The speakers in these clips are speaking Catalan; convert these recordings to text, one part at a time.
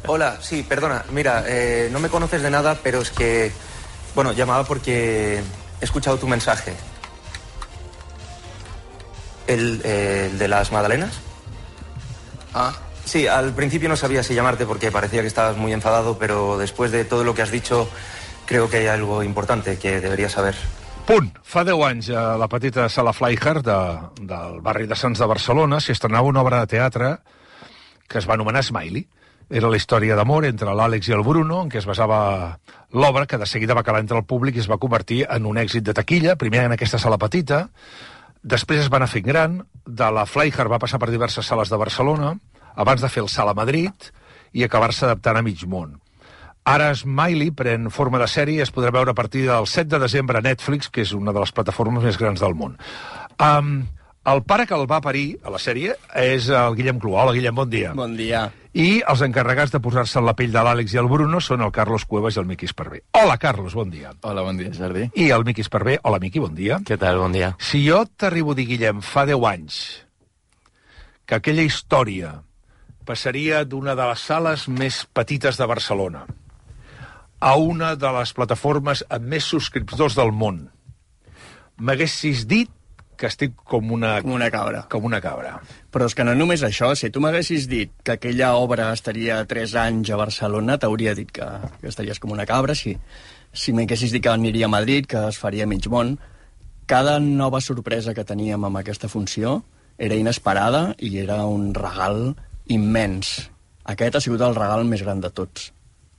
Hola, sí, perdona. Mira, no me conoces de nada, pero es que... Bueno, llamaba porque he escuchado tu mensaje. ¿El de las magdalenas? Ah, sí, al principio no sabía si llamarte porque parecía que estabas muy enfadado, pero después de todo lo que has dicho, creo que hay algo importante que deberías saber. Punt. Fa 10 anys a la petita sala Flyhard del barri de Sants de Barcelona s'hi estrenava una obra de teatre que es va anomenar Smiley. Era la història d'amor entre l'Àlex i el Bruno, en què es basava l'obra, que de seguida va calar entre el públic i es va convertir en un èxit de taquilla, primer en aquesta sala petita, després es va anar fent gran, de la Flyhard va passar per diverses sales de Barcelona, abans de fer el Sala Madrid i acabar-se adaptant a mig món. Ara Smiley pren forma de sèrie i es podrà veure a partir del 7 de desembre a Netflix, que és una de les plataformes més grans del món. El pare que el va parir a la sèrie és el Guillem Cluà. Hola, Guillem, bon dia. Bon dia. I els encarregats de posar-se en la pell de l'Àlex i el Bruno són el Carlos Cuevas i el Miqui Esparvé. Hola, Carlos, bon dia. Hola, bon dia, Jordi. I el Miqui Esparvé. Hola, Miqui, bon dia. Què tal, bon dia. Si jo t'arribo a dir, Guillem, fa 10 anys que aquella història passaria d'una de les sales més petites de Barcelona a una de les plataformes amb més subscriptors del món, m'haguessis dit que estic com una cabra. Com una cabra. Però és que no només això, si tu m'haguessis dit que aquella obra estaria 3 anys a Barcelona, t'hauria dit que estaries com una cabra, sí. Si m'haguessis dit que aniria a Madrid, que es faria mig món, cada nova sorpresa que teníem amb aquesta funció era inesperada i era un regal immens. Aquest ha sigut el regal més gran de tots.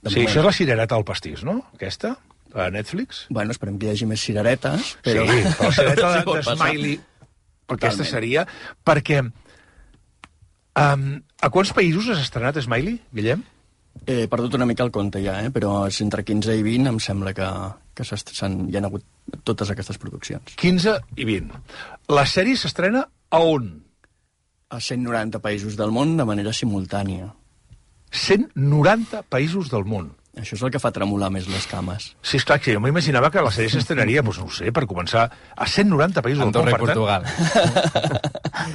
Sí, això és la cirereta al pastís, no? Aquesta, a Netflix. Bueno, esperem que hi hagi més cireretes, però... Sí, però la cirereta de Smiley, aquesta seria... Perquè... a quants països has estrenat Smiley, Guillem? He perdut una mica el compte ja, però és entre 15 i 20, em sembla que hi ha hagut totes aquestes produccions. 15 i 20. La sèrie s'estrena a on? A 190 països del món de manera simultània. 190 països del món. Això és el que fa tremolar més les cames. Sí, esclar, que jo m'imaginava que la sèrie s'estrenaria, doncs no ho sé, per començar, a 190 països del món. Andorra i Portugal.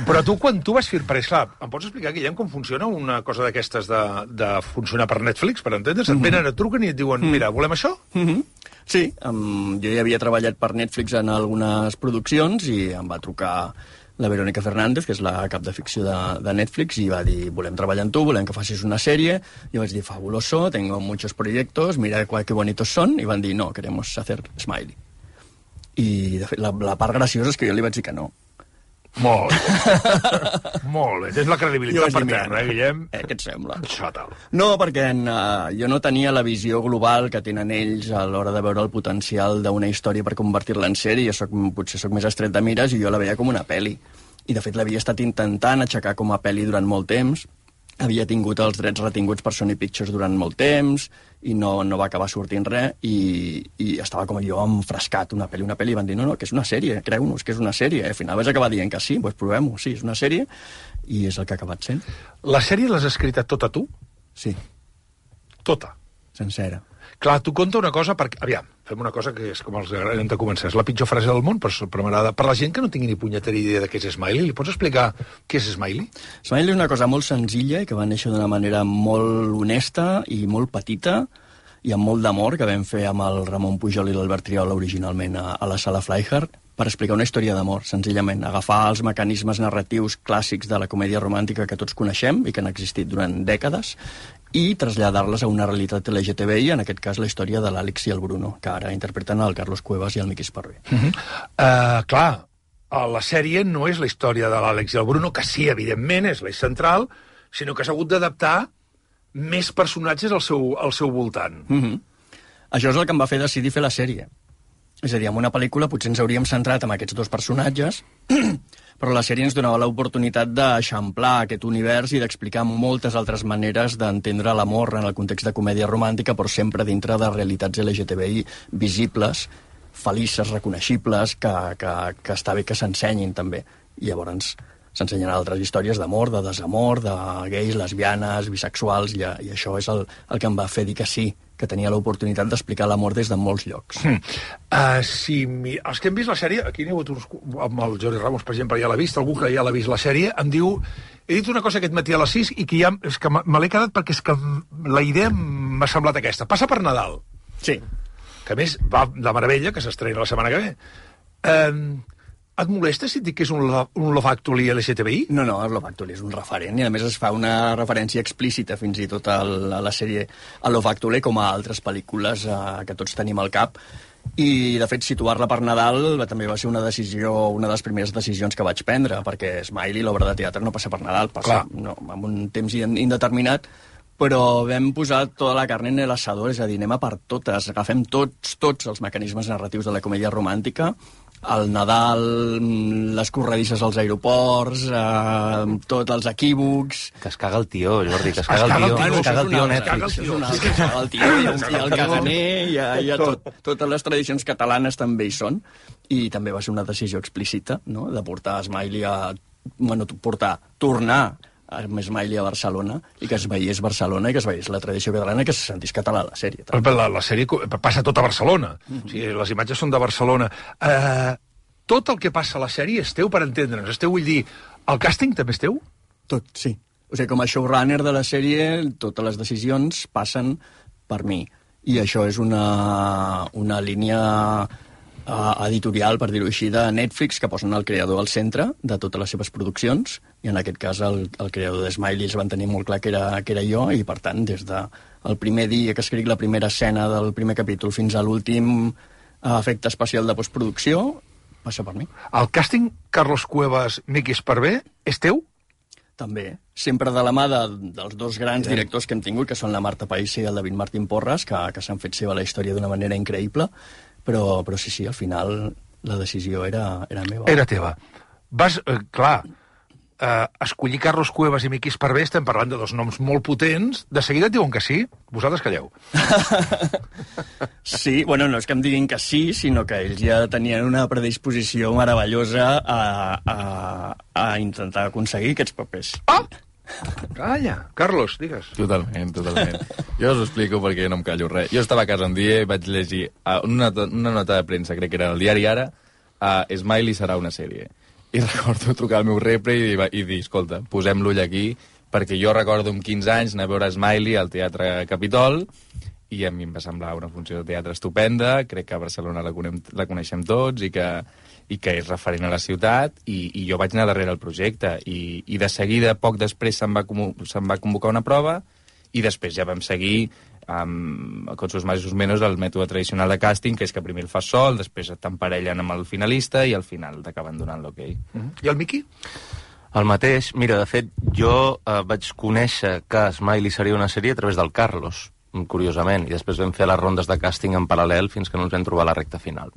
Però tu, quan tu vas fer... Perquè, esclar, em pots explicar, Guillem, com funciona una cosa d'aquestes de funcionar per Netflix, per entendre's? Et venen, et truquen i et diuen, mira, volem això? Sí, jo ja havia treballat per Netflix en algunes produccions i em va trucar la Verónica Fernández, que és la cap de ficció de Netflix, i va dir, volem treballar amb tu, volem que facis una sèrie. Jo vaig dir, fabuloso, tengo muchos proyectos, mira qué bonitos son, i van dir, no, queremos hacer Smiley. I, de fet, la part graciosa és que jo li vaig dir que no. Molt bé. Molt bé. Tens la credibilitat per terra, Guillem? Què et sembla? Fatal. No, perquè jo no tenia la visió global que tenen ells a l'hora de veure el potencial d'una història per convertir-la en sèrie. Potser soc més estret de mires i jo la veia com una pel·li. I, de fet, l'havia estat intentant aixecar com a pel·li durant molt temps. Havia tingut els drets retinguts per Sony Pictures durant molt temps i no va acabar sortint res i estava com jo enfrescat, una pel·li, i van dir, no, que és una sèrie, creu-nos que és una sèrie. Al final vaig acabar dient que sí, doncs provem-ho, sí, és una sèrie, i és el que ha acabat sent. La sèrie l'has escrita tota tu? Sí. Tota? Sencera. Clar, tu conta una cosa, perquè... Aviam, fem una cosa que és com els hem de començar. És la pitjor frase del món, però m'agrada. Per la gent que no tingui ni punyetera idea de què és Smiley, li pots explicar què és Smiley? Smiley és una cosa molt senzilla i que va néixer d'una manera molt honesta i molt petita i amb molt d'amor, que vam fer amb el Ramon Pujol i l'Albert Triola originalment a la sala Flyhard, per explicar una història d'amor, senzillament. Agafar els mecanismes narratius clàssics de la comèdia romàntica que tots coneixem i que han existit durant dècades i traslladar-les a una realitat LGTBI, en aquest cas la història de l'Àlex i el Bruno, que ara interpreten el Carlos Cuevas i el Miqui Esparvé. Clar, la sèrie no és la història de l'Àlex i el Bruno, que sí, evidentment, és l'eix central, sinó que s'ha hagut d'adaptar més personatges al seu voltant. Això és el que em va fer decidir fer la sèrie. És a dir, en una pel·lícula potser ens hauríem centrat en aquests dos personatges, però la sèrie ens donava l'oportunitat d'eixamplar aquest univers i d'explicar moltes altres maneres d'entendre l'amor en el context de comèdia romàntica, però sempre dintre de realitats LGTBI visibles, felices, reconeixibles, que està bé que s'ensenyin també. I llavors s'ensenyen altres històries d'amor, de desamor, de gais, lesbianes, bisexuals, i això és el que em va fer dir que sí, que tenia l'oportunitat d'explicar l'amor des de molts llocs. Els que hem vist la sèrie, aquí n'hi ha hagut uns, amb el Jordi Ramos, per exemple, ja l'ha vist, algú que ja l'ha vist la sèrie, em diu, he dit una cosa aquest matí a les 6 i que ja, és que me l'he quedat perquè és que la idea m'ha semblat aquesta. Passa per Nadal. Sí. Que a més va de meravella, que s'estrena la setmana que ve. Et molesta si et dic que és un Love Actually LGTBI? No, Love Actually és un referent, i a més es fa una referència explícita fins i tot a la sèrie a Love Actually, com a altres pel·lícules que tots tenim al cap. I, de fet, situar-la per Nadal també va ser una de les primeres decisions que vaig prendre, perquè Smiley, l'obra de teatre, no passa per Nadal, passa amb un temps indeterminat, però vam posar tota la carn en l'asador, és a dir, anem a per totes, agafem tots els mecanismes narratius de la comèdia romàntica, el Nadal, les corredisses als aeroports, tots els equívocs... Que es caga el tio, Jordi, que es caga el tio. Bueno, es caga el tio Netflix. Es caga el tio, i el caganer, i totes les tradicions catalanes també hi són, i també va ser una decisió explícita, no?, de portar Smiley tornar amb Smiley a Barcelona, i que es veiés Barcelona, i que es veiés la tradició catalana, i que se sentís català la sèrie. La sèrie passa tot a Barcelona. O sigui, les imatges són de Barcelona. Tot el que passa a la sèrie és teu, per entendre'ns. És teu, vull dir, el càsting també és teu? Tot, sí. O sigui, com a showrunner de la sèrie, totes les decisions passen per mi. I això és una línia editorial, per dir-ho així, de Netflix, que posen el creador al centre de totes les seves produccions, i en aquest cas el creador de Smiley els van tenir molt clar que era jo, i per tant, des del primer dia que escric la primera escena del primer capítol fins a l'últim efecte especial de postproducció, passa per mi. El càsting Carlos Cuevas, Miki Esparvé, és teu? També, sempre de la mà dels dos grans directors que hem tingut, que són la Marta País i el David Martín Porras, que s'han fet seva la història d'una manera increïble, però sí, al final la decisió era meva. Era teva. Vas, escollir Carlos Cuevas i Miki Esparvé, estem parlant de dos noms molt potents, de seguida et diuen que sí, vosaltres calleu. Sí, bueno, no és que em diguin que sí, sinó que ells ja tenien una predisposició meravellosa a intentar aconseguir aquests papers. Calla, Carlos, digues. Totalment. Jo us ho explico perquè no em callo res. Jo estava a casa un dia i vaig llegir una nota de premsa, crec que era el diari Ara, Smiley serà una sèrie. I recordo trucar al meu repre i dir, escolta, posem l'ull aquí, perquè jo recordo amb 15 anys anar a veure Smiley al Teatre Capitol, i a mi em va semblar una funció de teatre estupenda, crec que a Barcelona la coneixem tots, i que és referent a la ciutat, i jo vaig anar darrere el projecte, i de seguida, poc després, se'm va convocar una prova, i després ja vam seguir con sus más y sus menos el mètode tradicional de càsting, que és que primer el fas sol, després t'emparellen amb el finalista, i al final t'acaben donant l'okei. I el Miki? El mateix. Mira, de fet, jo vaig conèixer que Smiley seria una sèrie a través del Carlos, curiosament, i després vam fer les rondes de càsting en paral·lel fins que no ens vam trobar a la recta final.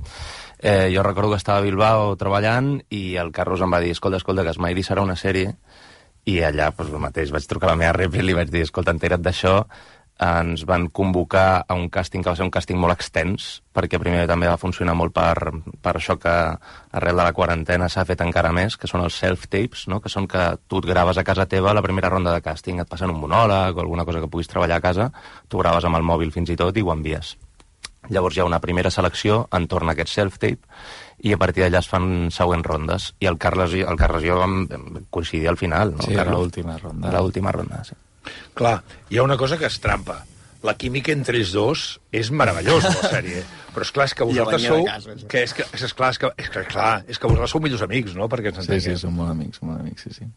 Jo recordo que estava a Bilbao treballant i el Carlos em va dir, escolta, que Smiley serà una sèrie, i allà, doncs, el mateix, vaig trucar a la meva rep i li vaig dir, escolta, entera't d'això. Ens van convocar a un càsting que va ser un càsting molt extens, perquè primer també va funcionar molt per això que arrel de la quarantena s'ha fet encara més, que són els self-tapes, no? Que són que tu et graves a casa teva la primera ronda de càsting, et passen un monòleg o alguna cosa que puguis treballar a casa, tu graves amb el mòbil fins i tot i ho envies. Llavors hi ha una primera selecció entorn a aquest self-tape i a partir d'allà es fan següents rondes. I el Carles i jo vam coincidir al final, no? Sí, l'última ronda. L'última ronda, sí. Clar, hi ha una cosa que es trampa. La química entre els dos és meravellosa, la sèrie. Però és que vosaltres sou... És que vosaltres sou millors amics, no? Perquè ens entenguem. Sí, som molt amics, sí.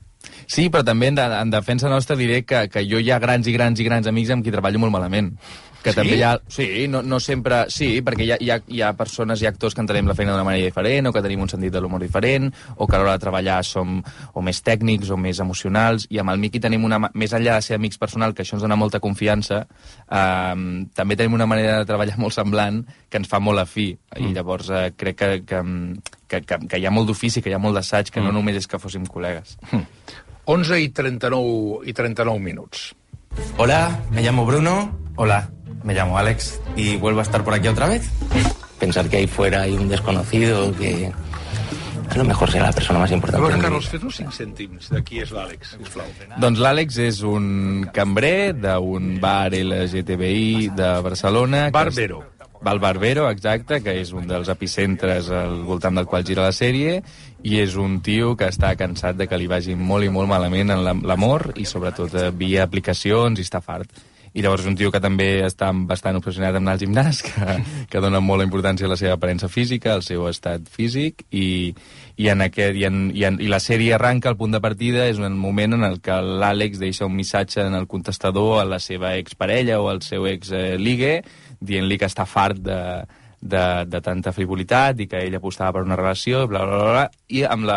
Sí, però també en defensa nostra diré que jo hi ha grans amics amb qui treballo molt malament. Que també hi ha... Sí, no sempre... Sí, perquè hi ha persones i actors que entenem la feina d'una manera diferent, o que tenim un sentit de l'humor diferent, o que a l'hora de treballar som o més tècnics o més emocionals, i amb el Miki tenim més enllà de ser amics personal, que això ens dona molta confiança, també tenim una manera de treballar molt semblant, que ens fa molt afí, i llavors crec que hi ha molt d'ofici, que hi ha molt d'assaig, que no només és que fóssim col·legues. 11 i 39 minuts. Hola, me llamo Bruno. Hola, me llamo Alex y vuelvo a estar por aquí otra vez. Pensar que ahí fuera hay un desconocido que a lo mejor será la persona más importante. A veure, de mi Carlos, vida. fes-nos 5 cèntims de qui és l'Àlex, sisplau. Doncs l'Àlex és un cambrer d'un bar LGTBI de Barcelona. Barbero. El Barbero, exacte, que és un dels epicentres al voltant del qual gira la sèrie, i és un tio que està cansat de que li vagi molt i molt malament en l'amor i sobretot via aplicacions i està fart. I llavors és un tio que també està bastant obsessionat amb anar al gimnàs, que dona molta importància a la seva aparença física, al seu estat físic, i la sèrie arranca, el punt de partida és un moment en el que l'Àlex deixa un missatge en el contestador a la seva exparella o al seu ex-ligue, dient-li que està fart de tanta frivolitat i que ell apostava per una relació, bla, bla, bla, i amb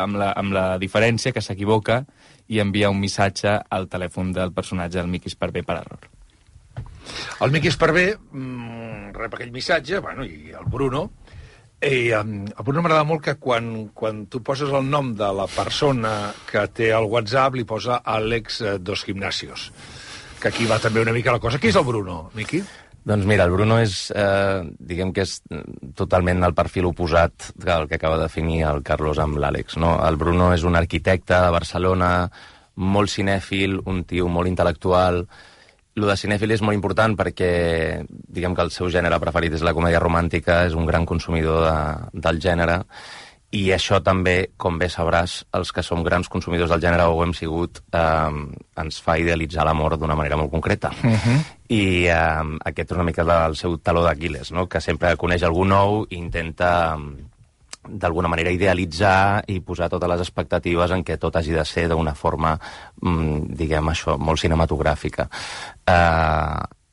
la diferència que s'equivoca i envia un missatge al telèfon del personatge del Miqui Esparvé per error. El Miqui Esparvé rep aquell missatge, bueno, i el Bruno, i el Bruno m'agrada molt que quan tu poses el nom de la persona que té el WhatsApp li posa Àlex dos Gimnasios, que aquí va també una mica la cosa. Qui és el Bruno, Miqui? Doncs mira, el Bruno és, diguem que és totalment el perfil oposat del que acaba de definir el Carlos amb l'Àlex, no? El Bruno és un arquitecte de Barcelona, molt cinèfil, un tio molt intel·lectual. Lo de cinèfil és molt important perquè, diguem que el seu gènere preferit és la comèdia romàntica, és un gran consumidor del gènere, i això també, com bé sabràs, els que som grans consumidors del gènere o ho hem sigut, ens fa idealitzar l'amor d'una manera molt concreta. I aquest és una mica el seu taló d'Aquil·les, no? Que sempre coneix algú nou i intenta d'alguna manera idealitzar i posar totes les expectatives en què tot hagi de ser d'una forma, diguem això, molt cinematogràfica.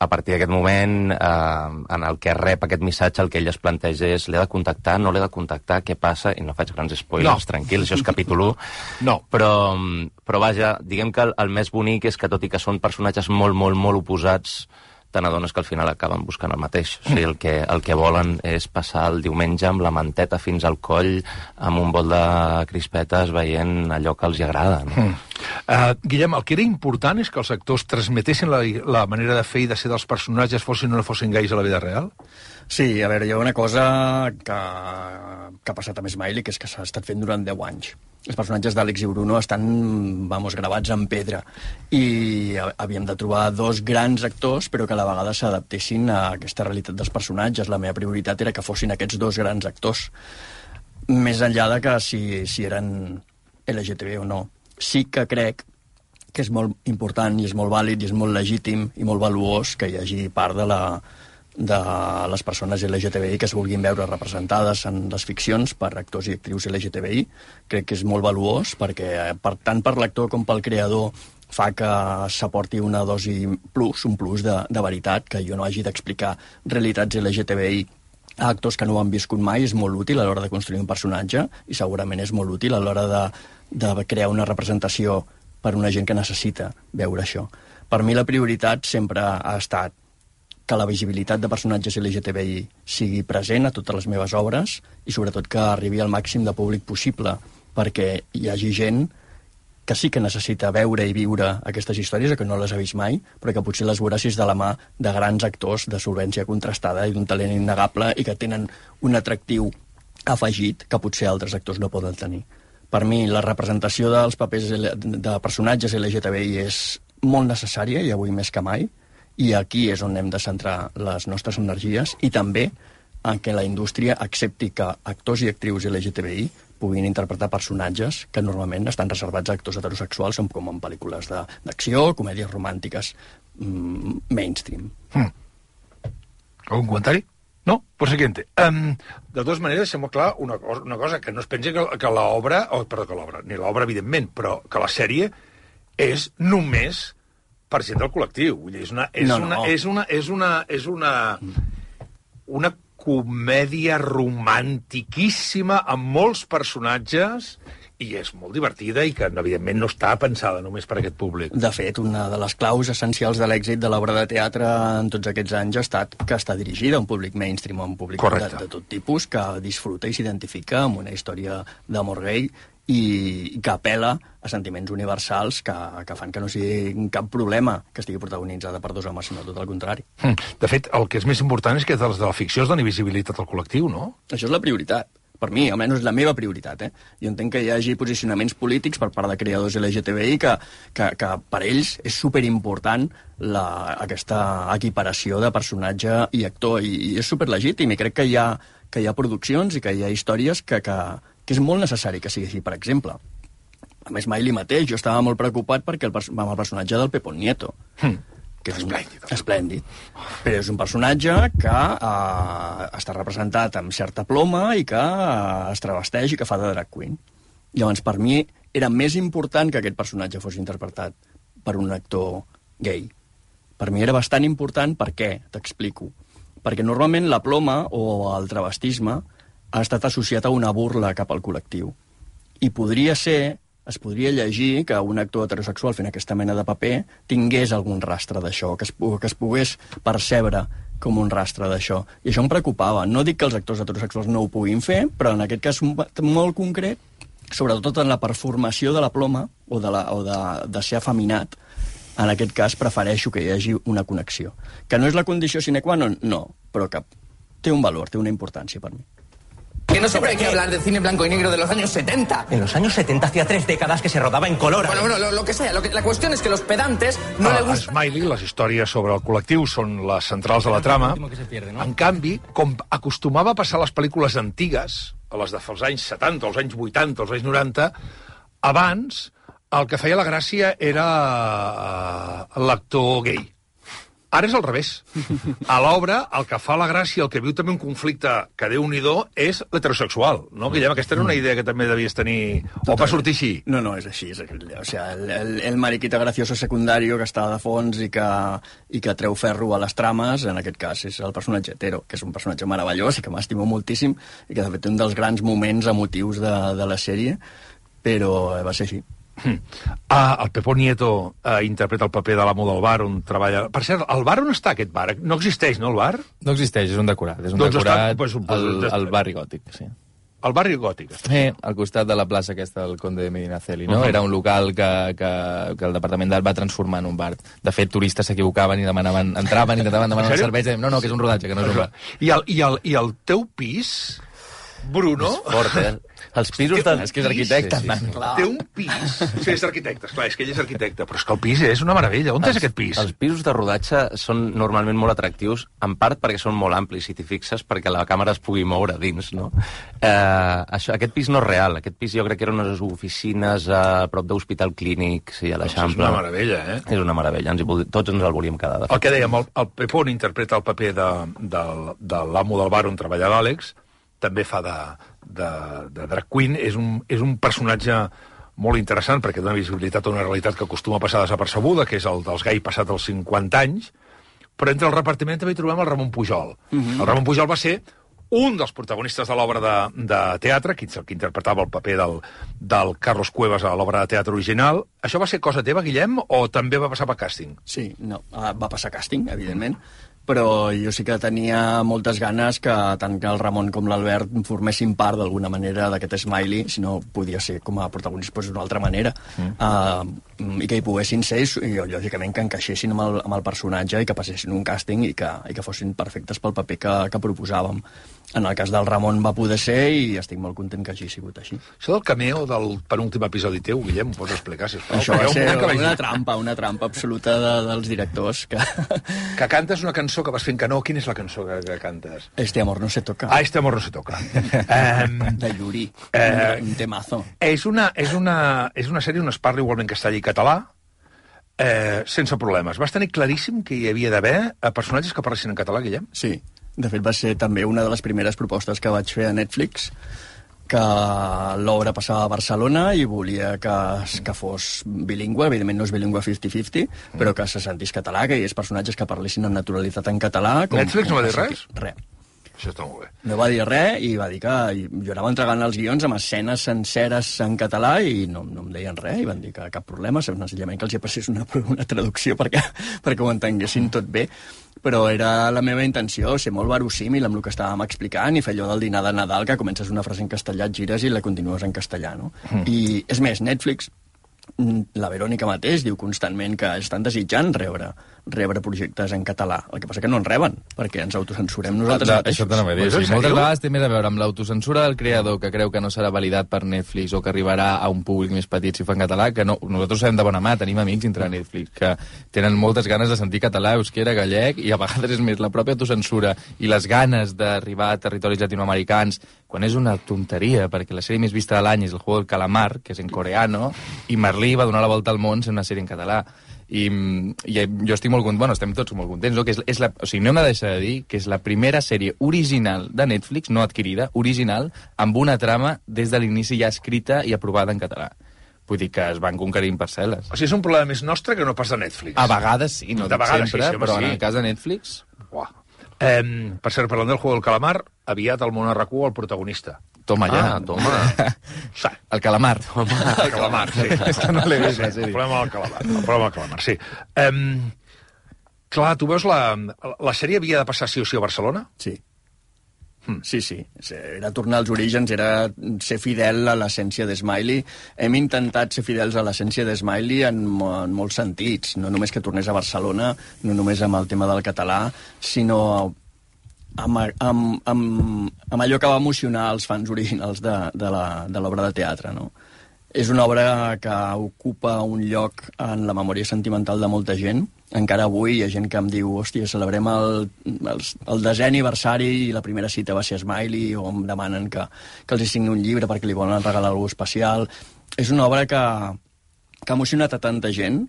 A partir d'aquest moment, en el que rep aquest missatge, el que ell es planteja és: l'he de contactar, no l'he de contactar, què passa? I no faig grans spoilers, tranquil, això és capítol 1. No. Però vaja, diguem que el més bonic és que, tot i que són personatges molt, molt, molt oposats, te n'adones que al final acaben buscant el mateix. O sigui, el que volen és passar el diumenge amb la manteta fins al coll, amb un bol de crispetes, veient allò que els hi agrada. No? Guillem, el que era important és que els actors transmetessin la manera de fer i de ser dels personatges, fossin o no fossin gais a la vida real? Sí, a veure, hi ha una cosa que ha passat amb Smiley, que és que s'ha estat fent durant 10 anys. Els personatges d'Àlex i Bruno estan, gravats en pedra, i havíem de trobar 2 grans actors, però que a la vegada s'adaptessin a aquesta realitat dels personatges. La meva prioritat era que fossin aquests 2 grans actors, més enllà de que si eren LGTB o no. Sí que crec que és molt important i és molt vàlid i és molt legítim i molt valuós que hi hagi part de les persones LGTBI que es vulguin veure representades en les ficcions per actors i actrius LGTBI. Crec que és molt valuós perquè, tant per l'actor com pel creador, fa que s'aporti una dosi plus, un plus de veritat, que jo no hagi d'explicar realitats LGTBI a actors que no ho han viscut mai. És molt útil a l'hora de construir un personatge i segurament és molt útil a l'hora de crear una representació per una gent que necessita veure això. Per mi la prioritat sempre ha estat que la visibilitat de personatges LGTBI sigui present a totes les meves obres i sobretot que arribi al màxim de públic possible, perquè hi hagi gent que sí que necessita veure i viure aquestes històries, que no les ha vist mai, però que potser les veurà si és de la mà de grans actors de solvència contrastada i d'un talent innegable i que tenen un atractiu afegit que potser altres actors no poden tenir. Per mi, la representació dels papers de personatges LGTBI és molt necessària, i avui més que mai, i aquí és on hem de centrar les nostres energies, i també en què la indústria accepti que actors i actrius LGTBI puguin interpretar personatges que normalment estan reservats a actors heterosexuals, com en pel·lícules d'acció, comèdies romàntiques mainstream. Algun comentari? No? Pues siguiente. De totes maneres, deixem clar una cosa, que no es pensi que l'obra, ni l'obra, evidentment, però que la sèrie és només per gent del col·lectiu. Vull dir, és una comèdia romantiquíssima amb molts personatges, i és molt divertida i que, evidentment, no està pensada només per aquest públic. De fet, una de les claus essencials de l'èxit de l'obra de teatre en tots aquests anys ha estat que està dirigida a un públic mainstream, a un públic de tot tipus, que disfruta i s'identifica amb una història d'amor gai i que apel·la a sentiments universals que fan que no sigui cap problema que estigui protagonitzada per 2 homes, sinó tot el contrari. De fet, el que és més important és que de la ficció es doni visibilitat al col·lectiu, no? Això és la prioritat. per mi, almenys la meva prioritat. Jo entenc que hi hagi posicionaments polítics per part de creadors LGTBI que per ells és superimportant aquesta equiparació de personatge i actor, i és superlegítim, i crec que hi ha produccions i que hi ha històries que és molt necessari que sigui així. Per exemple, a més, Smiley mateix, jo estava molt preocupat perquè amb el personatge del Pepón Nieto, que és esplèndid. Però és un personatge que està representat amb certa ploma i que es travesteix i que fa de drag queen. Llavors, per mi, era més important que aquest personatge fos interpretat per un actor gay. Per mi era bastant important. Per què? T'explico. Perquè normalment la ploma o el travestisme ha estat associat a una burla cap al col·lectiu. I es podria llegir que un actor heterosexual fent aquesta mena de paper tingués algun rastre d'això, que es pogués percebre com un rastre d'això. I això em preocupava. No dic que els actors heterosexuals no ho puguin fer, però en aquest cas molt concret, sobretot en la performació de la ploma o de ser afeminat, en aquest cas prefereixo que hi hagi una connexió. Que no és la condició sine qua non, no, però que té un valor, té una importància per mi. Que no siempre hay que hablar del cine blanco y negro de los años 70. En los años 70 hacía 3 décadas que se rodaba en color. Bueno, lo que sea. La cuestión es que los pedantes no le gusta... Smiley, les històries sobre el col·lectiu són les centrals de la trama. En canvi, com acostumava a passar a les pel·lícules antigues, a les dels anys 70, als anys 80, als anys 90, abans el que feia la gràcia era l'actor gay. Ara és al revés. A l'obra, el que fa la gràcia, el que viu també un conflicte que Déu-n'hi-do, és l'heterosexual, no, Guillem? Aquesta era una idea que també devies tenir... O va sortir així? No, és així. O sigui, el mariquita gracioso secundario que està de fons i que treu ferro a les trames, en aquest cas és el personatge hetero, que és un personatge meravellós i que m'estimo moltíssim i que de fet té un dels grans moments emotius de la sèrie, però va ser així. El Pepón Nieto interpreta el paper de l'amo del bar on treballa... Per cert, el bar on està aquest bar? No existeix, no, el bar? No existeix, és un decorat. És un decorat al barri gòtic, sí. Al barri gòtic. Al costat de la plaça aquesta del Conde de Medinaceli, no? Era un local que el Departament d'Art va transformar en un bar. De fet, turistes s'equivocaven i entraven i intentaven demanar una cervesa i no, que és un rodatge, que no és un bar. I el teu pis, Bruno... És fort, Els pisos de... És que és arquitecte. Sí. Té un pis. Sí, és arquitecte, esclar, és que ell és arquitecte, però és que el pis és una meravella. On és aquest pis? Els pisos de rodatge són normalment molt atractius, en part perquè són molt amplis, si t'hi fixes, perquè la càmera es pugui moure dins, no? Aquest pis no és real. Aquest pis jo crec que eren unes oficines a prop d'Hospital Clínic, sí, a l'Eixample. És una meravella, eh? És una meravella. Tots ens el volíem quedar. El que dèiem, el Pepón interpreta el paper de l'amo del bar on treballa l'Àlex, també fa de drag queen, és un personatge molt interessant perquè dona visibilitat a una realitat que acostuma a passar desapercebuda, que és el dels gai passat els 50 anys, però entre el repartiment també hi trobem el Ramon Pujol. El Ramon Pujol va ser un dels protagonistes de l'obra de teatre, que interpretava el paper del Carlos Cuevas a l'obra de teatre original. Això va ser cosa teva, Guillem, o també va passar per càsting? Sí, no, va passar càsting, evidentment, però jo sí que tenia moltes ganes que tant que el Ramon com l'Albert formessin part d'alguna manera d'aquest Smiley, si no podia ser com a protagonista d'una altra manera, i que hi poguessin ser, i lògicament que encaixessin amb el personatge i que passessin un càsting i que fossin perfectes pel paper que proposàvem. En el cas del Ramon va poder ser i estic molt content que hagi sigut així. Això del cameo del penúltim episodi teu, Guillem, ho pots explicar, sisplau? Això va ser una trampa absoluta dels directors. Que cantes una cançó que vas fent canó. Quina és la cançó que cantes? Este amor no se toca. Este amor no se toca. De Yuri, un temazo. És una sèrie on es parla igualment castellà i català, sense problemes. Vas tenir claríssim que hi havia d'haver personatges que parlessin en català, Guillem? Sí. De fet, va ser també una de les primeres propostes que vaig fer a Netflix, que l'obra passava a Barcelona i volia que fos bilingüe, evidentment no és bilingüe 50-50, però que se sentís català, que hi hagués personatges que parlessin amb naturalitat en català. Netflix no va dir res? Res. Això està molt bé. No va dir res i va dir que jo anava entregant els guions amb escenes senceres en català i no em deien res, i van dir que cap problema, senzillament que els hi passés una traducció perquè ho entenguessin tot bé. Però era la meva intenció, ser molt verosímil amb el que estàvem explicant i fer allò del dinar de Nadal, que comences una frase en castellà, et gires i la continues en castellà, no? I, és més, Netflix, la Verònica mateix diu constantment que estan desitjant rebre rebre projectes en català. El que passa que no en reben, perquè ens autocensurem nosaltres mateixos. Això t'anava a dir. Sí, moltes vegades té més a veure amb l'autocensura del creador, que creu que no serà validat per Netflix o que arribarà a un públic més petit si fa en català, que no. Nosaltres sabem de bona mà, tenim amics dintre de Netflix que tenen moltes ganes de sentir català, euskera, gallec, i a vegades és més la pròpia autocensura i les ganes d'arribar a territoris latinoamericans, quan és una tonteria, perquè la sèrie més vista de l'any és El juego del calamar, que és en coreano, i Merlí va donar la volta al món sent una sèrie en català. I jo estic molt content, bueno, estem tots molt contents, no? Que o sigui, no hem de deixar de dir que és la primera sèrie original de Netflix, no adquirida, original, amb una trama des de l'inici ja escrita i aprovada en català. Vull dir que es van conquerint parcel·les. O sigui, és un problema més nostre que no pas de Netflix. A vegades sí, no de vegades sempre, sí, però sí. en el cas de Netflix... Uah. Per cert, parlant del juego del calamar, aviat al món RQ el protagonista. Toma ja. Toma. Sí. El calamar. El calamar, sí. És que no l'he vist, la El sèrie. problema del calamar, sí. Clar, tu veus la sèrie havia de passar sí o sí a Barcelona? Sí. Sí. Era tornar als orígens, era ser fidel a l'essència d'Smiley. Hem intentat ser fidels a l'essència d'Smiley en molts sentits. No només que tornés a Barcelona, no només amb el tema del català, sinó amb allò que va emocionar els fans originals de l'obra de teatre, no? És una obra que ocupa un lloc en la memòria sentimental de molta gent. Encara avui hi ha gent que em diu hòstia, celebrem el 10è aniversari i la primera cita va ser Smiley, o em demanen que els hi signi un llibre perquè li volen regalar alguna especial. És una obra que ha emocionat a tanta gent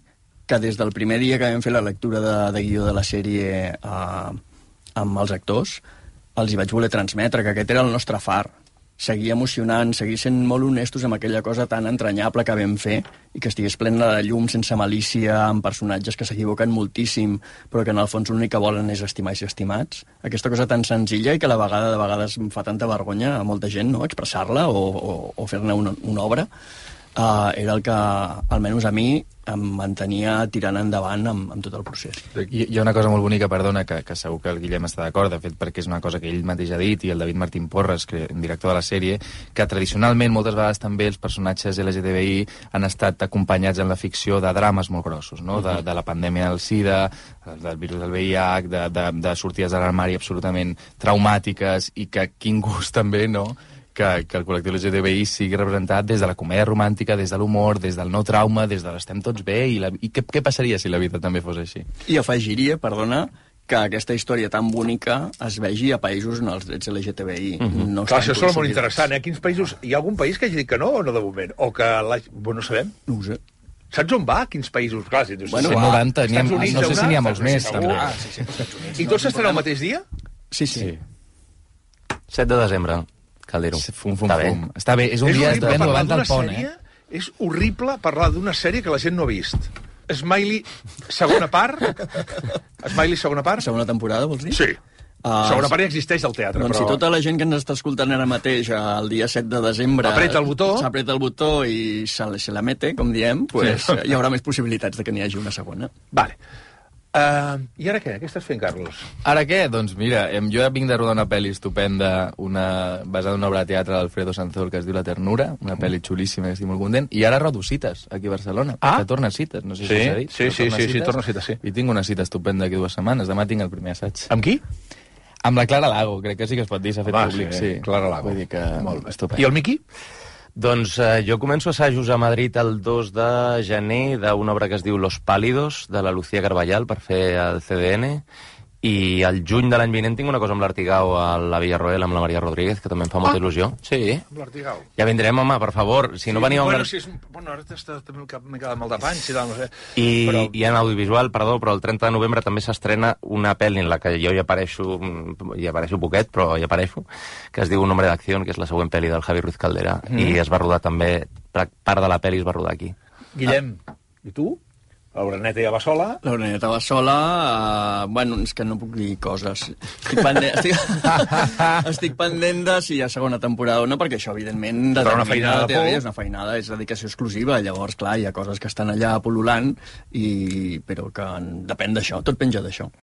que des del primer dia que vam fer la lectura de guió de la sèrie amb els actors els hi vaig voler transmetre que aquest era el nostre far. Seguir emocionant, seguir sent molt honestos amb aquella cosa tan entranyable que vam fer i que estigués plena de llum, sense malícia, amb personatges que s'equivoquen moltíssim, però que en el fons l'únic que volen és estimar i ser estimats. Aquesta cosa tan senzilla i que a la vegada de vegades em fa tanta vergonya a molta gent, no?, expressar-la o fer-ne una obra, era el que, almenys a mi, em mantenia tirant endavant amb tot el procés. Hi ha una cosa molt bonica, perdona, que segur que el Guillem està d'acord, de fet, perquè és una cosa que ell mateix ha dit, i el David Martín Porres, director de la sèrie, que tradicionalment, moltes vegades també, els personatges LGTBI han estat acompanyats en la ficció de drames molt grossos, no? De la pandèmia del SIDA, del virus del VIH, de sortides de l'armari absolutament traumàtiques, i que quin gust també, no?, que el col·lectiu LGTBI sigui representat des de la comèdia romàntica, des de l'humor, des del no trauma, des de l'estem tots bé, i què passaria si la vida també fos així? I afegiria, perdona, que aquesta història tan bonica es vegi a països on els drets LGTBI no Clar, això estan és molt interessant, Quins països... Hi ha algun país que hagi dit que no o no de moment? O que... Bueno, no sabem. No ho sé. Saps on va? Quins països? Clar, si dius... Bueno, 90, no sé si n'hi ha molts més, també. I tots estan al mateix dia? Sí. 7 de desembre. Cal dir-ho. Fum. Està bé, és un dia estupendo abans del pont, És horrible parlar d'una sèrie que la gent no ha vist. Smiley, segona part? Segona temporada, vols dir? Sí. Segona part ja existeix al teatre, doncs però... si tota la gent que ens està escoltant ara mateix el dia 7 de desembre... S'apreta el botó i se la mete, com diem, pues, hi haurà més possibilitats de que n'hi hagi una segona. Vale. I ara què? Què estàs fent, Carlos? Ara què? Doncs mira, jo vinc de rodar una pel·li estupenda, basada en una obra de teatre d'Alfredo Sanzol que es diu La ternura, una pel·li xulíssima que estic molt content, i ara rodo cites aquí a Barcelona, que torna cites, no sé si s'ha dit. Sí, torna cites, sí. I tinc una cita estupenda aquí 2 setmanes, demà tinc el primer assaig. Amb qui? Amb la Clara Lago, crec que sí que es pot dir, s'ha fet públic. Sí, Clara Lago. Vull dir que molt bé. estupend. I el Miqui? Doncs jo començo assajos a Madrid el 2 de gener d'una obra que es diu Los Pálidos, de la Lucía Carballal, per fer el CDN, i al juny de l'any vinent tinc una cosa amb l'Artigau a la Villarroel, amb la Maria Rodríguez, que també em fa molta il·lusió. Sí. Amb l'Artigau. Ja vindrem, home, per favor. Si no veníeu... Bueno, ara també m'he quedat mal de panys i tal, no sé. I en audiovisual, perdó, però el 30 de novembre també s'estrena una pel·li en la que jo hi apareixo poquet, però hi apareixo, que es diu Un hombre d'acció, que és la següent pel·li del Javi Ruiz Caldera, i es va rodar també, part de la pel·li es va rodar aquí. Guillem, i tu? L'Oreneta ja va sola. L'Oreneta va sola, bueno, és que no puc dir coses. Estic pendent de si hi ha segona temporada o no, perquè això, evidentment, però una feinada de por. És una feinada, és dedicació exclusiva, llavors, clar, hi ha coses que estan allà pol·lulant, però que depèn d'això, tot penja d'això.